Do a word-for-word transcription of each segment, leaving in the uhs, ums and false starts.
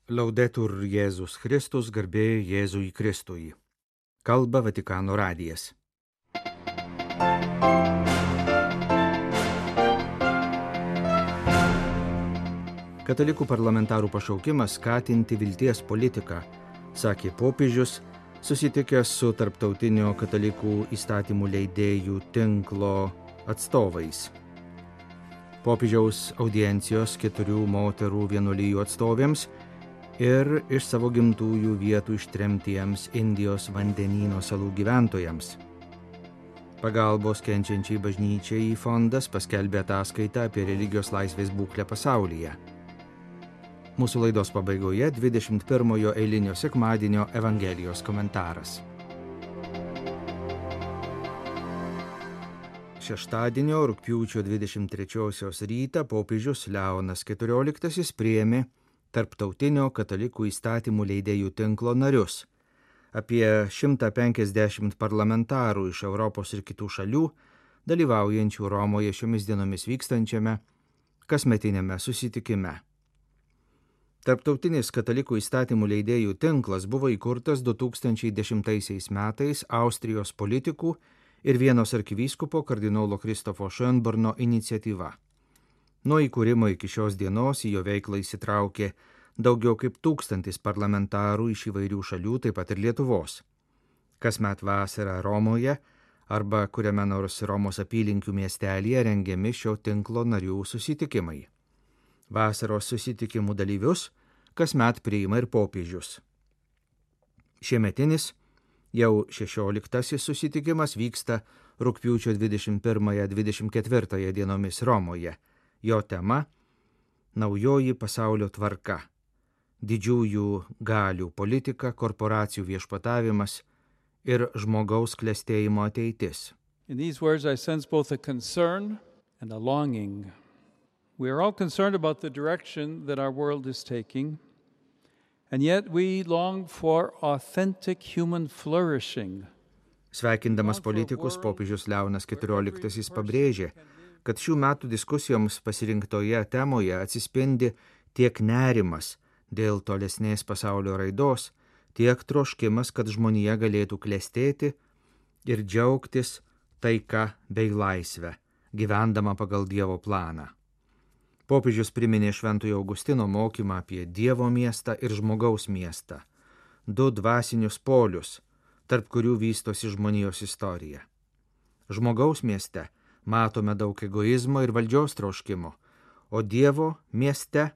Laudetur Jėzus Kristus, garbė Jėzui Kristui. Kalba Vatikano radijas. Katalikų parlamentarų pašaukimas skatinti vilties politiką, sakė popiežius, susitikęs su tarptautinio katalikų įstatymų leidėjų tinklo atstovais. Popiežiaus audiencijos keturių moterų vienuolijų atstovėms ir iš savo gimtųjų vietų ištremtiems Indijos vandenyno salų gyventojams. Pagalbos kenčiančiai bažnyčiai fondas paskelbė ataskaitą apie religijos laisvės būklę pasaulyje. Mūsų laidos pabaigoje dvidešimt pirmojo eilinio sekmadienio Evangelijos komentaras. Šeštadienio rugpjūčio dvidešimt trečiosios rytą popiežius Leonas keturioliktasis priėmė Tarptautinio katalikų įstatymų leidėjų tinklo narius, apie šimtą penkiasdešimt parlamentarų iš Europos ir kitų šalių, dalyvaujančių Romoje šiomis dienomis vykstančiame kasmetiniame susitikime. Tarptautinis katalikų įstatymų leidėjų tinklas buvo įkurtas du tūkstančiai dešimtaisiais metais Austrijos politikų ir Vienos arkivyskupo kardinolo Kristofo Schönborno iniciatyva. Nuo įkūrimo iki šios dienos į jo veiklą įsitraukė daugiau kaip tūkstantis parlamentarų iš įvairių šalių, taip pat ir Lietuvos. Kasmet vasarą Romoje arba kuriame nors Romos apylinkių miestelyje rengiami šio tinklo narių susitikimai. Vasaros susitikimų dalyvius kasmet priima ir popiežius. Šiemetinis, jau šešioliktasis susitikimas vyksta rugpjūčio dvidešimt pirmąją - dvidešimt ketvirtąją dienomis Romoje. Jo tema – naujoji pasaulio tvarka, didžiųjų galių politika, korporacijų viešpatavimas ir žmogaus klestėjimo ateitis. In these words I sense both a concern and a longing. We are all concerned about the direction that our world is taking, and yet we long for authentic human flourishing. Sveikindamas politikus, popiežius Leonas keturioliktasis pabrėžė, kad šių metų diskusijoms pasirinktoje temoje atsispindi tiek nerimas dėl tolesnės pasaulio raidos, tiek troškimas, kad žmonija galėtų klestėti ir džiaugtis taika bei laisvę, gyvendama pagal Dievo planą. Popiežius priminė Šventojo Augustino mokymą apie Dievo miestą ir žmogaus miestą, du dvasinius polius, tarp kurių vystosi žmonijos istorija. Žmogaus mieste matome daug egoizmo ir valdžios troškimo, o Dievo mieste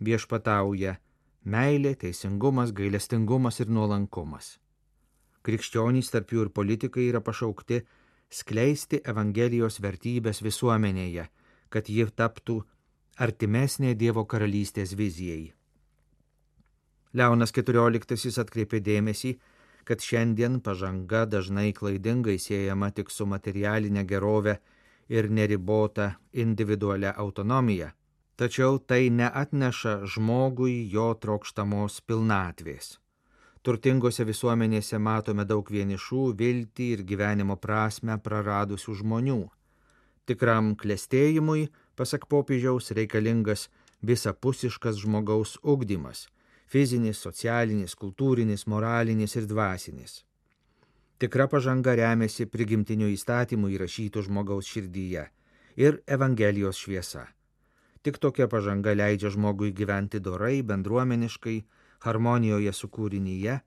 viešpatauja meilė, teisingumas, gailestingumas ir nuolankumas. Krikščionys, tarp jų ir politikai, yra pašaukti skleisti Evangelijos vertybės visuomenėje, kad ji taptų artimesnė Dievo karalystės vizijai. Leonas keturioliktasis atkreipė dėmesį, kad šiandien pažanga dažnai klaidingai siejama tik su materialinė gerove ir neribota individualia autonomija, tačiau tai neatneša žmogui jo trokštamos pilnatvės. Turtingose visuomenėse matome daug vienišų, viltį ir gyvenimo prasmę praradusių žmonių. Tikram klestėjimui, pasak popiežiaus, reikalingas visapusiškas žmogaus ugdymas – fizinis, socialinis, kultūrinis, moralinis ir dvasinis. Tikra pažanga remiasi prigimtiniu įstatymu įrašytų žmogaus širdyje ir Evangelijos šviesa. Tik tokia pažanga leidžia žmogui gyventi dorai, bendruomeniškai, harmonijoje su kūrinyje,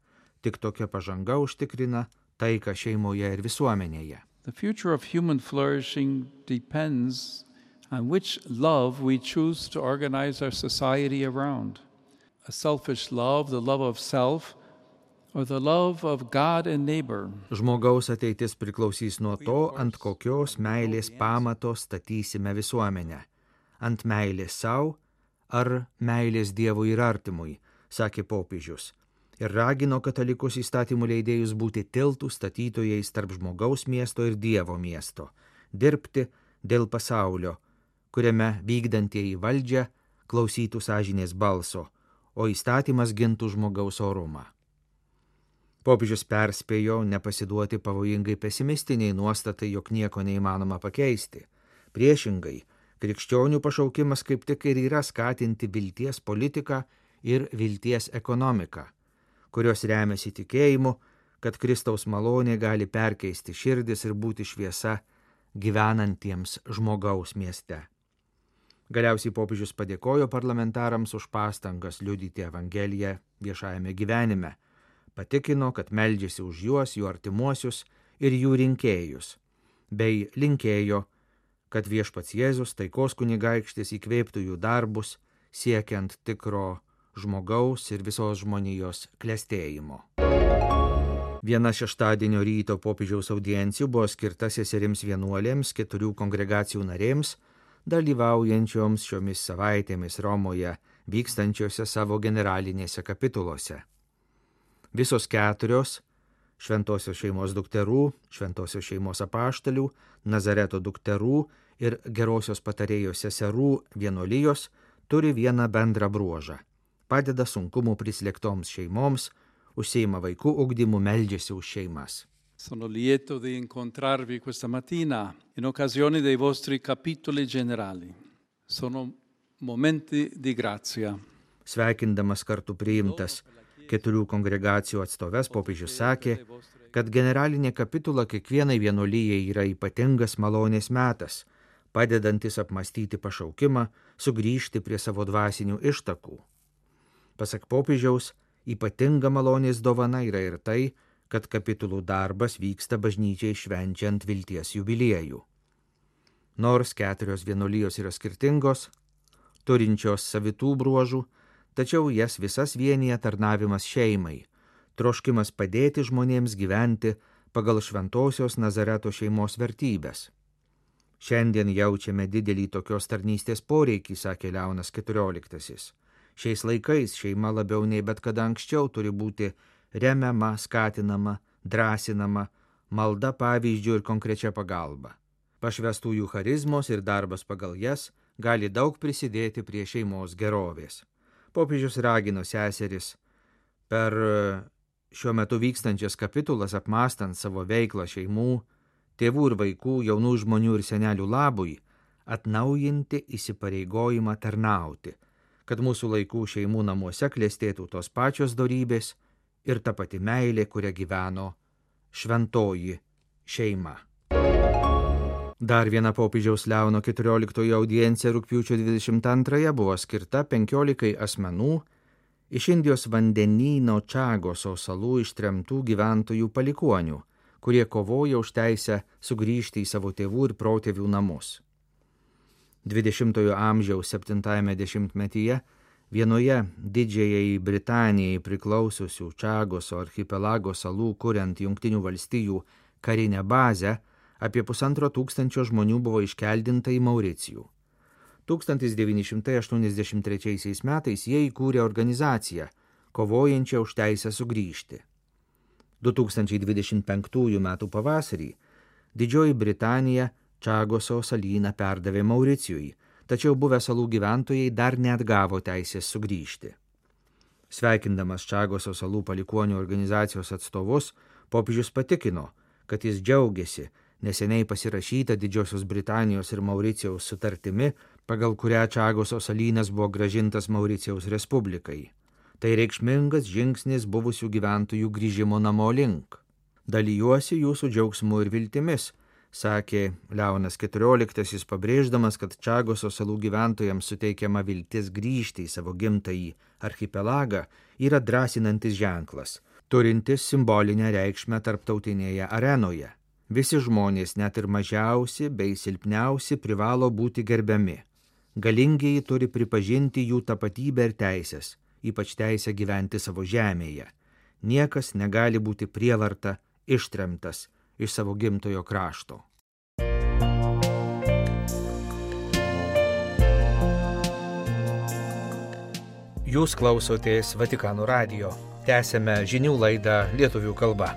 tik tokia pažanga užtikrina taiką šeimoje ir visuomenėje. The future of human flourishing depends on which love we choose to organize our society around. A selfish love, the love of self, or the love of God and neighbor. Žmogaus ateitis priklausys nuo to, ant kokios meilės pamato statysime visuomenę. Ant meilės savo ar meilės Dievui ir artimui, sakė popiežius, ir ragino katalikus įstatymų leidėjus būti tiltų statytojais tarp žmogaus miesto ir Dievo miesto, dirbti dėl pasaulio, kuriame vykdantieji valdžią klausytų sąžinės balso, o įstatymas gintų žmogaus orumą. Popiežius perspėjo nepasiduoti pavojingai pesimistiniai nuostatai, jog nieko neįmanoma pakeisti. Priešingai, krikščionių pašaukimas kaip tik ir yra skatinti vilties politiką ir vilties ekonomika, kurios remiasi tikėjimu, kad Kristaus malonė gali perkeisti širdis ir būti šviesa gyvenantiems žmogaus mieste. Galiausiai popiežius padėkojo parlamentarams už pastangas liudyti Evangeliją viešajame gyvenime, patikino, kad meldžiasi už juos, jų artimuosius ir jų rinkėjus, bei linkėjo, kad viešpats Jėzus, taikos kunigaikštis, įkvėptų jų darbus, siekiant tikro žmogaus ir visos žmonijos klestėjimo. Viena šeštadienio ryto popiežiaus audiencijų buvo skirta seserims vienuolėms, keturių kongregacijų narėms, dalyvaujančioms šiomis savaitėmis Romoje vykstančiose savo generalinėse kapituluose. Visos keturios šventosios šeimos dukterų, šventosios šeimos apaštalių, Nazareto dukterų ir gerosios patarėjos seserų vienuolijos turi vieną bendrą bruožą – padeda sunkumų prislėgtoms šeimoms, užsiima vaikų ugdymu, meldžiasi už šeimas. Sono lieto di incontrarvi questa mattina in occasione dei vostri capitoli generali. Sono momenti di grazia. Sveikindamas kartu priimtas keturių kongregacijų atstoves, popiežius sakė, kad generalinė kapitula kiekvienai vienuolijai yra ypatingas malonės metas, padedantis apmastyti pašaukimą, sugrįžti prie savo dvasinių ištakų. Pasak popiežiaus, ypatinga malonės dovana yra ir tai, kad kapitulų darbas vyksta bažnyčiai švenčiant vilties jubiliejų. Nors keturios vienuolijos yra skirtingos, turinčios savitų bruožų, tačiau jas visas vienija tarnavimas šeimai, troškimas padėti žmonėms gyventi pagal šventosios Nazareto šeimos vertybės. Šiandien jaučiame didelį tokios tarnystės poreikį, sakė Leonas keturioliktasis. Šiais laikais šeima labiau nei bet kada anksčiau turi būti remiama, skatinama, drąsinama, malda pavyzdžių ir konkrečia pagalba. Pašvestųjų charizmos ir darbas pagal jas gali daug prisidėti prie šeimos gerovės. Popiežius ragino seseris per šiuo metu vykstančias kapitulas apmąstant savo veiklą šeimų, tėvų ir vaikų, jaunų žmonių ir senelių labui, atnaujinti įsipareigojimą tarnauti, kad mūsų laikų šeimų namuose klestėtų tos pačios dorybės ir ta pati meilė, kuria gyveno šventoji šeima. Dar viena popiežiaus Leono keturioliktojo audiencija rugpjūčio dvidešimt antrąją buvo skirta penkiolikai asmenų iš Indijos vandenyno Čagoso salų ištremtų gyventojų palikuonių, kurie kovoja už teisę sugrįžti į savo tėvų ir protėvių namus. dvidešimtojo amžiaus septintajame dešimtmetyje vienoje Didžiajai Britanijai priklausiusių Čagoso archipelago salų, kuriant Jungtinių valstijų karinę bazę, apie pusantro tūkstančio žmonių buvo iškeldinta į Mauricijų. tūkstantis devyni šimtai aštuoniasdešimt trečiaisiais metais jie įkūrė organizaciją, kovojančią už teisę sugrįžti. du tūkstančiai dvidešimt penktųjų metų pavasarį Didžioji Britanija Čagoso salyną perdavė Mauricijui, tačiau buvę salų gyventojai dar neatgavo teisės sugrįžti. Sveikindamas Čagoso salų palikuonių organizacijos atstovus, popiežius patikino, kad jis džiaugiasi neseniai pasirašyta Didžiosios Britanijos ir Mauricijaus sutartimi, pagal kurią Čagoso salynas buvo grąžintas Mauricijaus Respublikai. Tai reikšmingas žingsnis buvusių gyventojų grįžimo namo link. Dalijuosi jūsų džiaugsmu ir viltimis, sakė Leonas keturioliktasis, pabrėždamas, kad Čagoso salų gyventojams suteikiama viltis grįžti į savo gimtąjį archipelagą yra drąsinantis ženklas, turintis simbolinę reikšmę tarptautinėje arenoje. Visi žmonės, net ir mažiausi bei silpniausi, privalo būti gerbiami. Galingieji turi pripažinti jų tapatybę ir teisės, ypač teisę gyventi savo žemėje. Niekas negali būti prievarta ištremtas iš savo gimtojo krašto. Jūs klausotės Vatikano radijo. Tęsėme žinių laidą lietuvių kalba.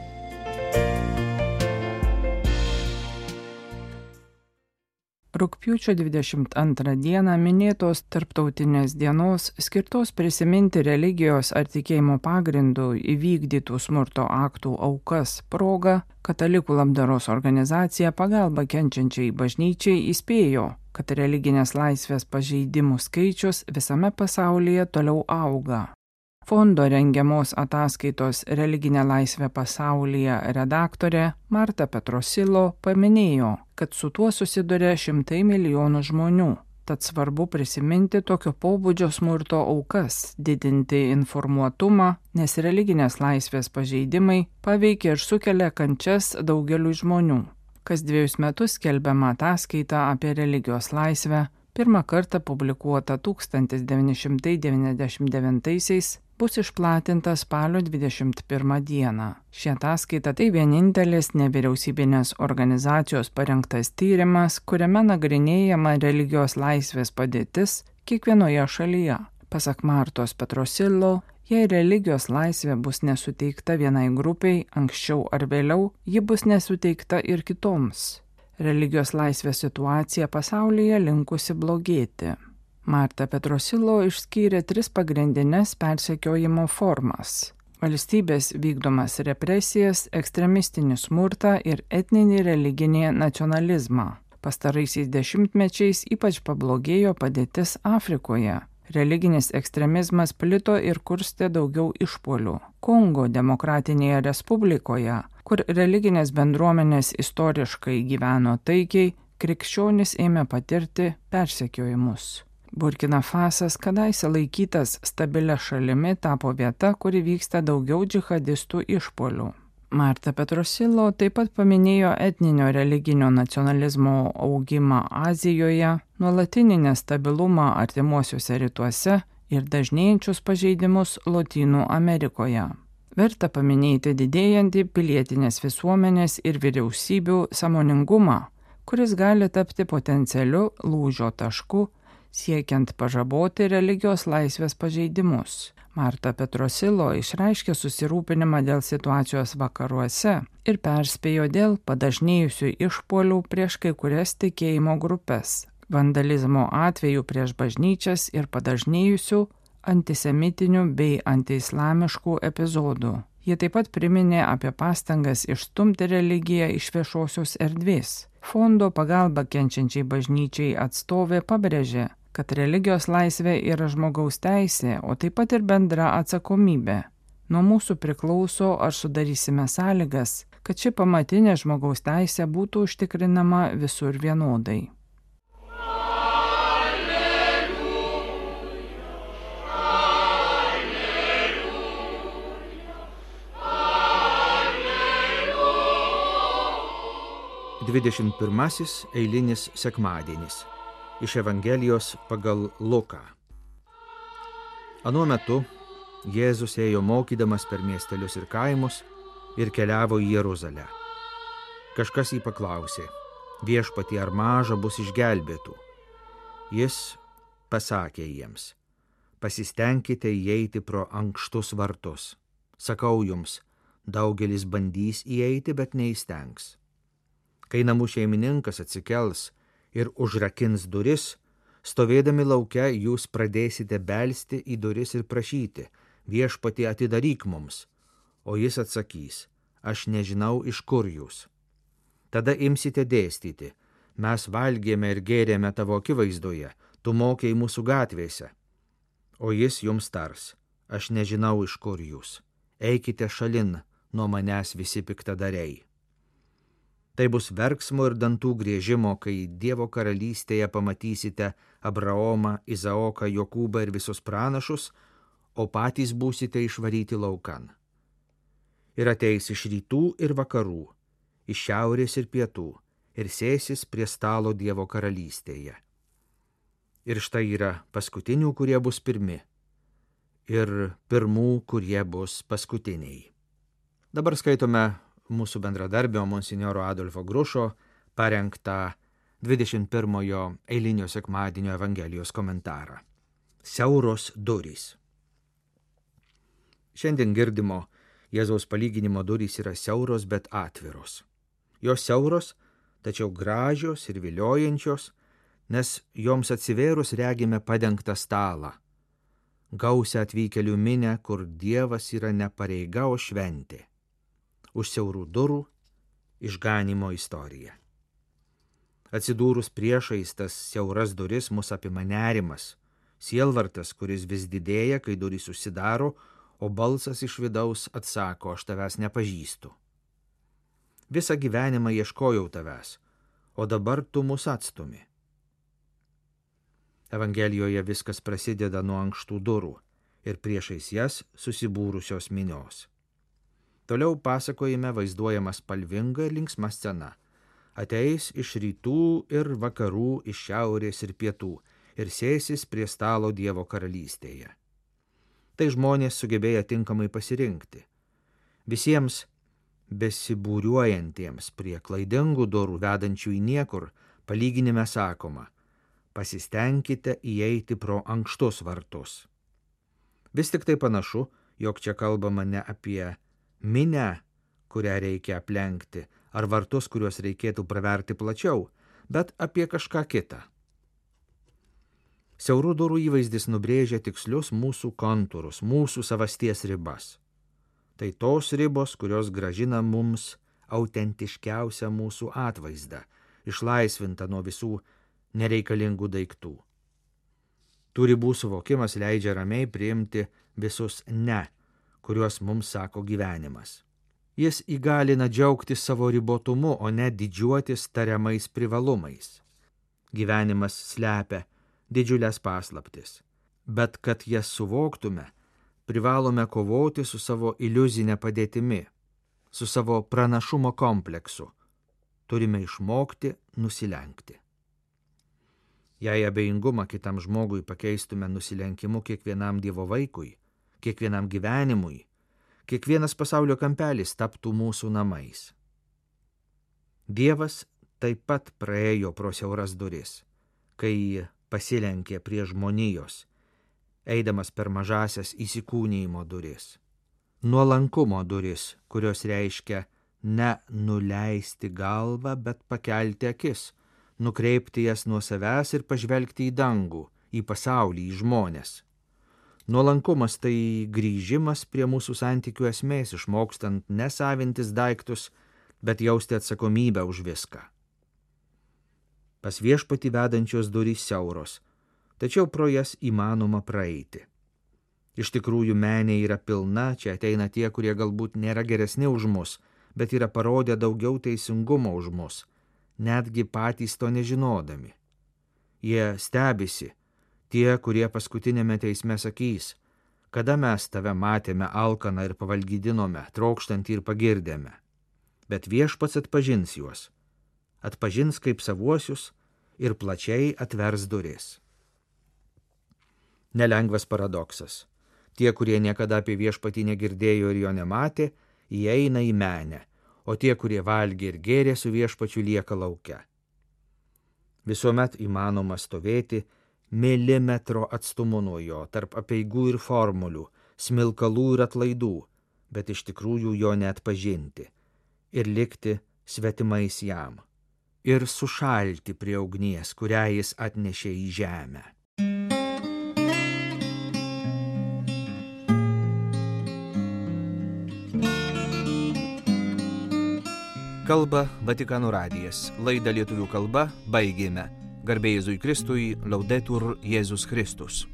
Rugpjūčio dvidešimt antrą dieną minėtos tarptautinės dienos skirtos prisiminti religijos ar tikėjimo pagrindų įvykdytų smurto aktų aukas proga, Katalikų labdaros organizacija Pagalba kenčiančiai bažnyčiai įspėjo, kad religinės laisvės pažeidimų skaičius visame pasaulyje toliau auga. Fondo rengiamos ataskaitos Religinė laisvė pasaulyje redaktorė Marta Petrosilo paminėjo, kad su tuo susiduria šimtai milijonų žmonių. Tad svarbu prisiminti tokio pobūdžio smurto aukas, didinti informuotumą, nes religinės laisvės pažeidimai paveikia ir sukelia kančias daugeliui žmonių. Kas dviejus metus skelbiama ataskaita apie religijos laisvę, pirmą kartą publikuota tūkstantis devyni šimtai devyniasdešimt devintaisiais, bus išplatinta spalio dvidešimt pirmą dieną. Ši ataskaita tai vienintelis nevyriausybinės organizacijos parengtas tyrimas, kuriame nagrinėjama religijos laisvės padėtis kiekvienoje šalyje. Pasak Martos Petrosilo, jei religijos laisvė bus nesuteikta vienai grupiai, anksčiau ar vėliau, ji bus nesuteikta ir kitoms. Religijos laisvės situacija pasaulyje linkusi blogėti. Marta Petrosilo išskyrė tris pagrindines persekiojimo formas – valstybės vykdomas represijas, ekstremistinį smurtą ir etninį religinį nacionalizmą. Pastaraisiais dešimtmečiais ypač pablogėjo padėtis Afrikoje. Religinis ekstremizmas plito ir kurstė daugiau išpuolių. Kongo Demokratinėje Respublikoje, kur religinės bendruomenės istoriškai gyveno taikiai, krikščionys ėmė patirti persekiojimus. Burkina Fasas, kadaise laikytas stabilia šalimi, tapo vieta, kuri vyksta daugiau džihadistų išpuolių. Marta Petrosilo taip pat paminėjo etninio religinio nacionalizmo augimą Azijoje, nuolatinį nestabilumą artimuosiuose rytuose ir dažnėjančius pažeidimus Lotynų Amerikoje. Verta paminėti didėjantį pilietinės visuomenės ir vyriausybių sąmoningumą, kuris gali tapti potencialiu lūžio tašku, siekiant pažaboti religijos laisvės pažeidimus. Marta Petrosilo išreiškė susirūpinimą dėl situacijos vakaruose ir perspėjo dėl padažnėjusių išpuolių prieš kai kurias tikėjimo grupes, vandalizmo atvejų prieš bažnyčias ir padažnėjusių antisemitinių bei antiislamiškų epizodų. Jie taip pat priminė apie pastangas išstumti religiją iš viešosios erdvės. Fondo pagalba kenčiančiai bažnyčiai atstovė pabrėžė, kad religijos laisvė yra žmogaus teisė, o taip pat ir bendra atsakomybė. Nuo mūsų priklauso, ar sudarysime sąlygas, kad ši pamatinė žmogaus teisė būtų užtikrinama visur vienodai. dvidešimt pirmasis eilinis sekmadienis. Iš Evangelijos pagal Luką. Anuo metu Jėzus ėjo mokydamas per miestelius ir kaimus ir keliavo į Jeruzalę. Kažkas jį paklausė: Viešpatie, ar maža bus išgelbėtų? Jis pasakė jiems: pasistengkite įeiti pro ankštus vartus. Sakau jums, daugelis bandys įeiti, bet neįstengs. Kai namų šeimininkas atsikels ir užrakins duris, stovėdami lauke jūs pradėsite belsti į duris ir prašyti: Viešpatie, atidaryk mums. O jis atsakys: aš nežinau, iš kur jūs. Tada imsite dėstyti: mes valgėme ir gėrėme tavo akivaizdoje, tu mokei mūsų gatvėse. O jis jums tars: aš nežinau, iš kur jūs. Eikite šalin nuo manęs visi piktadariai. Tai bus verksmo ir dantų griežimo, kai Dievo karalystėje pamatysite Abraomą, Izaoką, Jokūbą ir visus pranašus, o patys būsite išvaryti laukan. Ir ateis iš rytų ir vakarų, iš šiaurės ir pietų, ir sėsis prie stalo Dievo karalystėje. Ir štai yra paskutinių, kurie bus pirmi, ir pirmų, kurie bus paskutiniai. Dabar skaitome mūsų bendradarbio monsinjoro Adolfo Grušo parengtą dvidešimt pirmojo eilinio sekmadienio Evangelijos komentarą. Siauros durys. Šiandien girdimo Jėzaus palyginimo durys yra siauros, bet atviros. Jos siauros, tačiau gražios ir viliojančios, nes joms atsivėrus regime padengtą stalą, gausią atvykėlių minę, kur Dievas yra ne pareiga, o šventė. Už siaurų durų išganimo istorija. Atsidūrus priešais tas siauras duris mus apima nerimas, sielvartas, kuris vis didėja, kai durys užsidaro, o balsas iš vidaus atsako, aš tavęs nepažįstu. Visą gyvenimą ieškojau tavęs, o dabar tu mus atstumi. Evangelijoje viskas prasideda nuo ankštų durų ir priešais jas susibūrusios minios. Toliau pasakojime vaizduojama spalvinga ir linksma scena. Ateis iš rytų ir vakarų, iš šiaurės ir pietų ir sėsis prie stalo Dievo karalystėje. Tai žmonės sugebėję tinkamai pasirinkti. Visiems besibūriuojantiems prie klaidingų durų vedančių į niekur palyginime sakoma, pasistengkite įeiti pro ankštus vartus. Vis tik tai panašu, jog čia kalbama ne apie minią, kurią reikia aplenkti, ar vartus, kuriuos reikėtų praverti plačiau, bet apie kažką kitą. Siaurų durų įvaizdis nubrėžia tikslius mūsų kontūrus, mūsų savasties ribas. Tai tos ribos, kurios grąžina mums autentiškiausią mūsų atvaizdą, išlaisvintą nuo visų nereikalingų daiktų. Tų ribų suvokimas leidžia ramiai priimti visus ne, kuriuos mums sako gyvenimas. Jis įgalina džiaugtis savo ribotumu, o ne didžiuotis tariamais privalumais. Gyvenimas slepia didžiulės paslaptis, bet kad jas suvoktume, privalome kovoti su savo iliuzinė padėtimi, su savo pranašumo kompleksu. Turime išmokti nusilenkti. Jei abejingumą kitam žmogui pakeistume nusilenkimu kiekvienam Dievo vaikui, kiekvienam gyvenimui, kiekvienas pasaulio kampelis taptų mūsų namais. Dievas taip pat praėjo pro siauras duris, kai pasilenkė prie žmonijos, eidamas per mažasias įsikūnijimo duris. Nuolankumo duris, kurios reiškia ne nuleisti galvą, bet pakelti akis, nukreipti jas nuo savęs ir pažvelgti į dangų, į pasaulį, į žmones. Nuolankumas tai grįžimas prie mūsų santykių esmės, išmokstant nesavintis daiktus, bet jausti atsakomybę už viską. Pas viešpatį vedančios durys siauros, tačiau pro jas įmanoma praeiti. Iš tikrųjų, menė yra pilna, čia ateina tie, kurie galbūt nėra geresni už mus, bet yra parodę daugiau teisingumo už mus, netgi patys to nežinodami. Jie stebisi, tie, kurie paskutinėme teisme sakys, kada mes tave matėme alkaną ir pavalgydinome, trokštantį ir pagirdėme. Bet viešpats atpažins juos, atpažins kaip savuosius ir plačiai atvers duris. Nelengvas paradoksas. Tie, kurie niekada apie viešpatį negirdėjo ir jo nematė, įeina į menę, o tie, kurie valgė ir gėrė su viešpačiu, lieka lauke. Visuomet įmanoma stovėti milimetro atstumu nuo jo, tarp apeigų ir formulių, smilkalų ir atlaidų, bet iš tikrųjų jo neatpažinti ir likti svetimais jam ir sušalti prie ugnies, kurią jis atnešė į žemę. Kalba Vatikano radijas. Laidą lietuvių kalba baigėme. Garbė Jėzui Kristui, Laudetur Jėzus Kristus.